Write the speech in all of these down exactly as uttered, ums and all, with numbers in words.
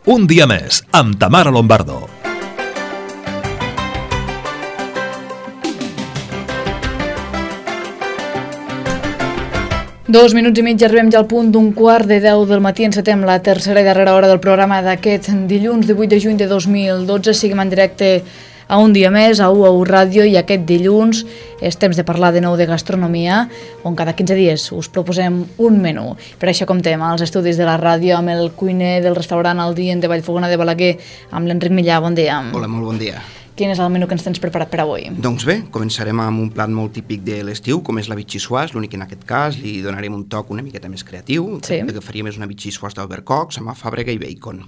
Un dia més, amb Tamara Lombardo. Dos minuts i mig, arribem ja al punt d'un quart de deu del matí. Encetem la tercera i darrera hora del programa d'aquest dilluns divuit de juny de dos mil dotze. Seguim en directe a Un dia més, a U A U Ràdio, i aquest dilluns és temps de parlar de nou de gastronomia, on cada quinze dies us proposem un menú. Per això comptem als estudis de la ràdio amb el cuiner del restaurant El Dient de Vallfogona de Balaguer, amb l'Enric Millà. Bon dia. Hola, molt bon dia. Quin és el menú que ens tens preparat per avui? Doncs bé, començarem amb un plat molt típic de l'estiu, com és la vichyssoise, l'únic que en aquest cas li donarem un toc una miqueta més creatiu. Sí. El que faríem és una vichyssoise d'albercocs amb alfàbrega i bacon.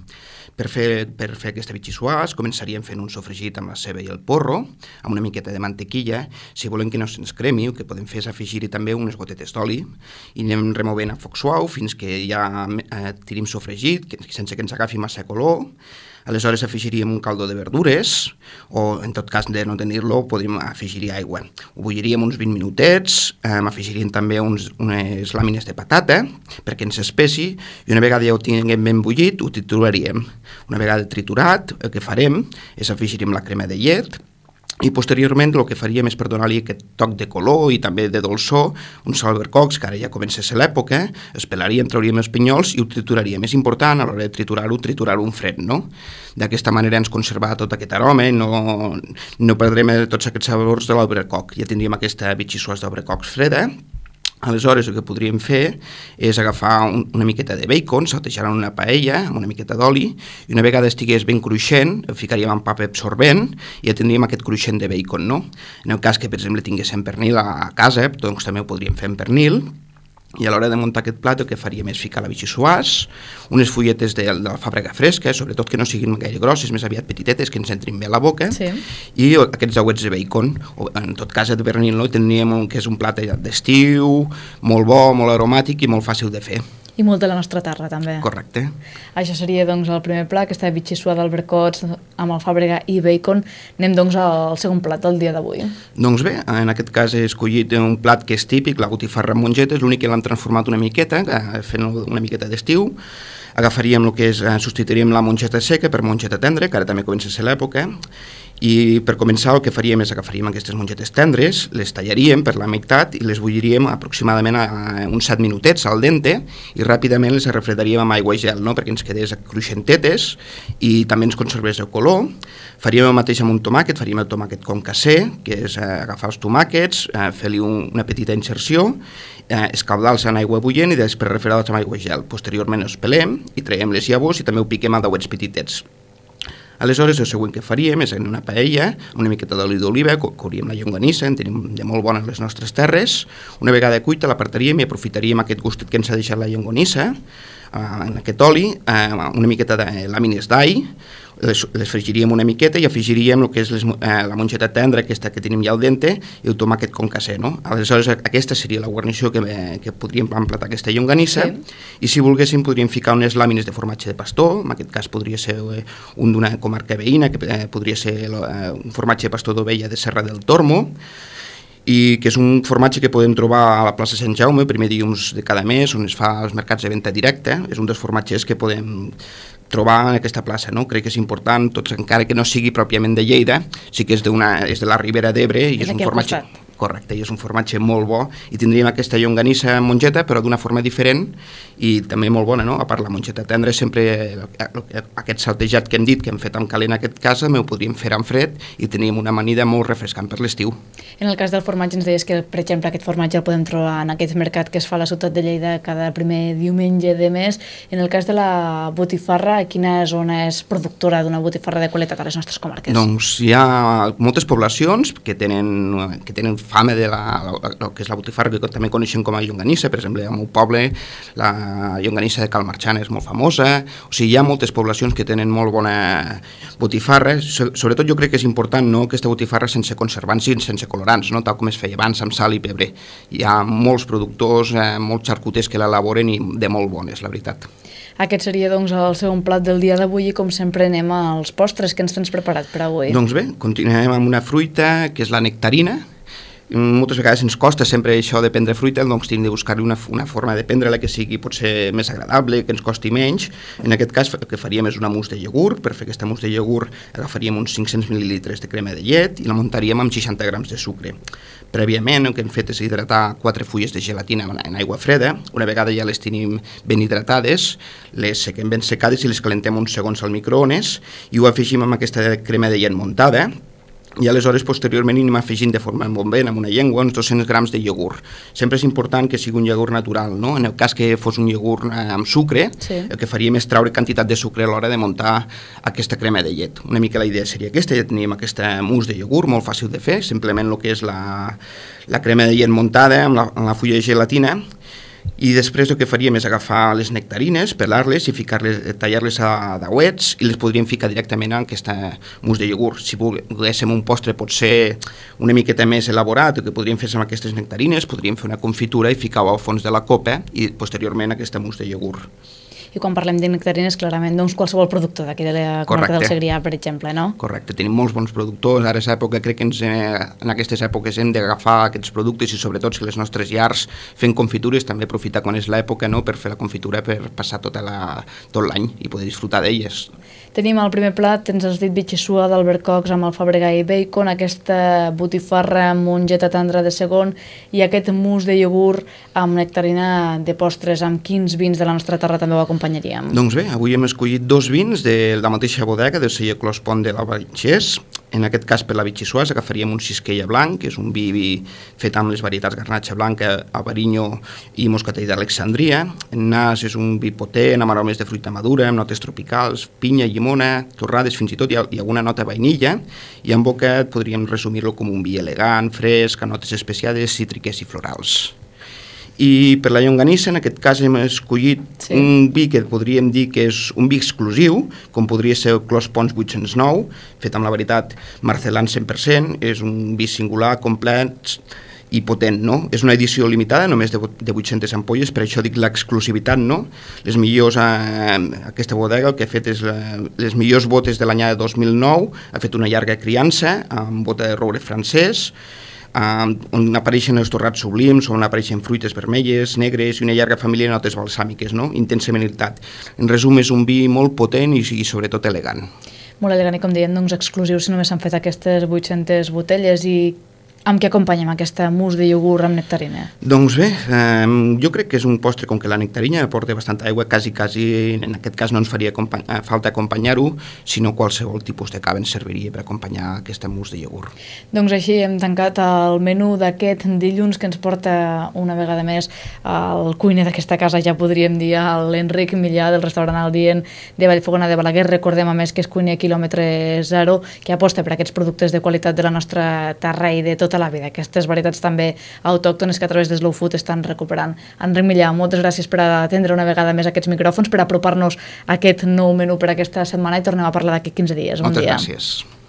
Per fer, per fer aquesta vichyssoise començaríem fent un sofregit amb la ceba i el porro, amb una miqueta de mantequilla. Si volem que no se'ns cremi, el que podem fer és afegir-hi també unes gotetes d'oli i anem removent a foc suau fins que ja eh, tirim sofregit, que, sense que ens agafi massa color. Aleshores afegiríem un caldo de verdures, o en tot cas de no tenir-lo podríem afegir-hi aigua. Ho bulliríem uns vint minutets, eh, afegiríem també uns, unes làmines de patata perquè ens espessi, i una vegada ja ho tinguem ben bullit ho trituraríem. Una vegada triturat, el que farem és afegiríem la crema de llet, i posteriorment el que faríem és per donar-li aquest toc de color i també de dolçor, uns albercocs, que ara ja comença a ser l'època, els pelaríem, trauríem els pinyols i ho trituraríem. És important a l'hora de triturar-ho, triturar-ho en fred, no? D'aquesta manera ens conservarà tot aquest aroma i no, no perdrem tots aquests sabors de l'albercoc. Ja tindríem aquesta vichyssoise d'albercocs freda. Aleshores el que podríem fer és agafar un, una miqueta de bacon, saltejar en una paella amb una miqueta d'oli, i una vegada estigués ben cruixent el ficaríem en paper absorbent i ja tindríem aquest cruixent de bacon, no? En el cas que, per exemple, tinguéssim pernil a casa, doncs també ho podríem fer en pernil. I a l'hora de muntar aquest plat el que faríem és ficar la vichyssoise, unes fulletes de, de l'alfàbrega fresca, sobretot que no siguin gaire grosses, més aviat petitetes, que ens entrin bé a la boca, sí. I aquests auets de bacon, o en tot cas de pernil, no? Tindríem un, que és un plat d'estiu, molt bo, molt aromàtic i molt fàcil de fer. I molt de la nostra terra, també. Correcte. Això seria, doncs, el primer plat, aquesta vichyssoise d'albercocs amb alfàbrega i bacon. Anem, doncs, al segon plat del dia d'avui. Doncs bé, en aquest cas he escollit un plat que és típic, la botifarra amb mongetes, l'únic que l'hem transformat una miqueta, fent una miqueta d'estiu. Agafaríem el que és, substituiríem la mongeta seca per mongeta tendra, que ara també comença a ser l'època, i per començar el que faríem és agafaríem aquestes mongetes tendres, les tallaríem per la meitat i les bulliríem aproximadament a uns set minutets al dente i ràpidament les refredaríem amb aigua i gel, no? Perquè ens quedés cruixentetes i també ens conservés el color. Faríem el mateix amb un tomàquet, faríem el tomàquet com casser, que és eh, agafar els tomàquets, eh, fer-li un, una petita inserció, eh, escaldar-los en aigua bullent i després refredar-los amb aigua i gel. Posteriorment els pelem i traiem les llavors i també ho piquem a dauets petitets. Aleshores, el següent que faríem és en una paella, una miqueta d'oli d'oliva, couríem la llonganissa, en tenim de molt bona a les nostres terres. Una vegada cuita l'apartaríem i aprofitaríem aquest gustet que ens ha deixat la llonganissa, eh, en aquest oli, eh, una miqueta de làmines d'all, les, les fregiríem una miqueta i afegiríem el que és les, eh, la mongeta tendra, aquesta que tenim ja al dente, i el tomàquet com casser, no? Aleshores, aquesta seria la guarnició que, que podríem emplatar aquesta llonganissa, sí. I si volguéssim podríem ficar unes làmines de formatge de pastor, en aquest cas podria ser eh, un d'una comarca veïna, que eh, podria ser eh, un formatge de pastor d'ovella de Serra del Tormo, i que és un formatge que podem trobar a la plaça Sant Jaume, el primer dilluns de cada mes, on es fa els mercats de venda directa. És un dels formatges que podem trobar en aquesta plaça, no? Crec que és important, tots, encara que no sigui pròpiament de Lleida, sí que és, és de la Ribera d'Ebre i és, és un formatge... Costat. Correcte, i és un formatge molt bo, i tindríem aquesta llonganissa amb mongeta, però d'una forma diferent, i també molt bona, no? A part, la mongeta tendra, sempre aquest saltejat que hem dit, que hem fet amb calent en aquest cas, també ho podríem fer en fred, i teníem una amanida molt refrescant per l'estiu. En el cas del formatge ens deies que, per exemple, aquest formatge el podem trobar en aquest mercat que es fa a la ciutat de Lleida cada primer diumenge de mes. En el cas de la botifarra, quina zona és productora d'una botifarra de qualitat a les nostres comarques? Doncs hi ha moltes poblacions que tenen, que tenen fama de la, la, la, que és la botifarra, que també coneixem com a llonganissa. Per exemple, al meu poble la llonganissa de Cal Marxant és molt famosa. O sigui, hi ha moltes poblacions que tenen molt bona botifarra. Sobretot jo crec que és important, no?, aquesta botifarra sense conservants i sense colorants, no?, tal com es feia abans amb sal i pebre. Hi ha molts productors, eh, molts xarcuters que l'elaboren i de molt bones, la veritat. Aquest seria, doncs, el segon plat del dia d'avui i, com sempre, anem als postres que ens tens preparat per avui. Doncs bé, continuem amb una fruita que és la nectarina. moltes vegades ens costa sempre això de prendre fruita, doncs hem de buscar-li una, una forma de prendre-la que sigui potser més agradable, que ens costi menys. En aquest cas el que faríem és una mousse de iogurt. Per fer aquesta mousse de iogurt agafaríem uns cinc-cents mil·lilitres de crema de llet i la muntaríem amb seixanta grams de sucre. Prèviament el que hem fet és hidratar quatre fulles de gelatina en aigua freda. Una vegada ja les tenim ben hidratades, les sequem ben secades i les calentem uns segons al microones i ho afegim amb aquesta crema de llet muntada. I aleshores posteriorment anem afegint de forma molt bé amb una llengua uns dos-cents grams de iogurt. Sempre és important que sigui un iogurt natural, no? En el cas que fos un iogurt amb sucre, sí. El que faríem és treure quantitat de sucre a l'hora de muntar aquesta crema de llet. Una mica la idea seria aquesta, ja tenim aquesta mousse de iogurt molt fàcil de fer, simplement el que és la, la crema de llet muntada amb la, amb la fulla de gelatina. I després el que faríem és agafar les nectarines, pelar-les i ficar-les, tallar-les a dauets i les podríem ficar directament en aquesta mousse de iogurt. Si volguéssim un postre potser una miqueta més elaborat, el que podríem fer amb aquestes nectarines, podríem fer una confitura i ficar-ho al fons de la copa i posteriorment aquesta mousse de iogurt. I quan parlem de nectarines, clarament, doncs qualsevol productor d'aquí de la comarca del Segrià, per exemple, no? Correcte, tenim molts bons productors. Ara és època, crec que ens, en aquestes èpoques hem d'agafar aquests productes i sobretot si les nostres llars fent confitures, també aprofitar quan és l'època, no?, per fer la confitura per passar tota la, tot l'any i poder disfrutar d'elles. Tenim al primer plat, ens has dit bitxissua d'albercocs amb alfabregà i bacon, aquesta botifarra amb mongeta tendra de segon i aquest mousse de iogurt amb nectarina de postres. Amb quins vins de la nostra terra també ho acompanyaríem? Doncs bé, avui hem escollit dos vins de la mateixa bodega, del celler Clos Pont de l'Albargès. En aquest cas, per la bitxissua, agafaríem un Xisquella blanc, que és un vi, vi fet amb les varietats garnatxa blanca, albariño i moscatell d'Alexandria. En nas és un vi potent, amb aromes de fruita madura, amb notes tropicals, pinya, llimona, torrades, fins i tot hi ha, hi ha alguna nota vainilla, i en boca podríem resumir-lo com un vi elegant, fresc, amb notes especiades, cítriques i florals. I per la llonganissa, en aquest cas hem escollit sí. un vi que podríem dir que és un vi exclusiu, com podria ser el Clos Pons vuit-cents nou, fet amb la varietat Marcelan cent per cent, és un vi singular, complet i potent, no? És una edició limitada, només de, de vuit-centes ampolles, per això dic l'exclusivitat, no? Les millors, eh, aquesta bodega el que ha fet és la, les millors botes de l'any dos mil nou, ha fet una llarga criança amb bota de roure francès, Uh, on apareixen els torrats sublims, on apareixen fruites vermelles, negres i una llarga família de notes balsàmiques, no? Intensament irritat. En resum, és un vi molt potent i, i sobretot elegant. Molt elegant i, com deien, doncs, exclusius, si només s'han fet aquestes vuit-centes botelles. I amb què acompanyem aquesta mousse de iogurt amb nectarina? Doncs bé, eh, jo crec que és un postre com que la nectarina aporta bastanta aigua, quasi, quasi, en aquest cas no ens faria acompany falta acompanyar-ho, sinó qualsevol tipus de cava ens serviria per acompanyar aquesta mousse de iogurt. Doncs així hem tancat el menú d'aquest dilluns que ens porta una vegada més el cuiner d'aquesta casa, ja podríem dir, l'Enric Millà del restaurant El Dient de Vallfogona de Balaguer. Recordem a més que és cuiner quilòmetre zero, que aposta per aquests productes de qualitat de la nostra terra i de tot tota la vida, aquestes varietats també autòctones que a través de Slow Food estan recuperant. Enric Millà, moltes gràcies per atendre una vegada més aquests micròfons, per apropar-nos a aquest nou menú per aquesta setmana i tornem a parlar d'aquí quinze dies. Bon Moltes dia. gràcies.